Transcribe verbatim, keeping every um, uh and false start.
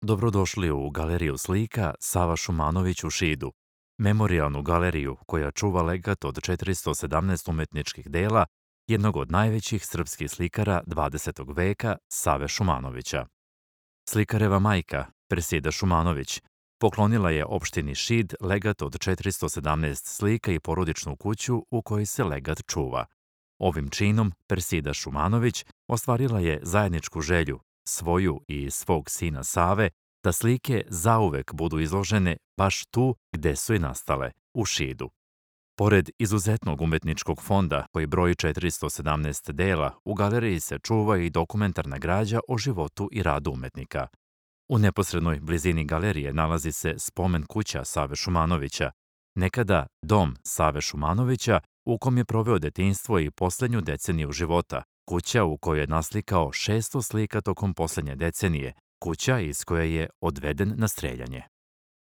Dobrodošli u Galeriju slika Sava Šumanović u Šidu, memorijalnu galeriju koja čuva legat od četiristo sedamnaest umetničkih dela jednog od najvećih srpskih slikara dvadesetog veka, Save Šumanovića. Slikareva majka, Persida Šumanović, poklonila je opštini Šid legat od četiristo sedamnaest slika i porodičnu kuću u kojoj se legat čuva. Ovim činom Persida Šumanović ostvarila je zajedničku želju, svoju i svog sina Save, da slike zauvek budu izložene baš tu gde su i nastale, u Šidu. Pored izuzetnog umetničkog fonda koji broji četiristo sedamnaest dela, u galeriji se čuva i dokumentarna građa o životu i radu umetnika. U neposrednoj blizini galerije nalazi se spomen kuća Save Šumanovića, nekada dom Save Šumanovića u kom je proveo detinjstvo i poslednju deceniju života, kuća u kojoj je naslikao šesto slika tokom poslednje decenije, kuća iz koje je odveden na streljanje.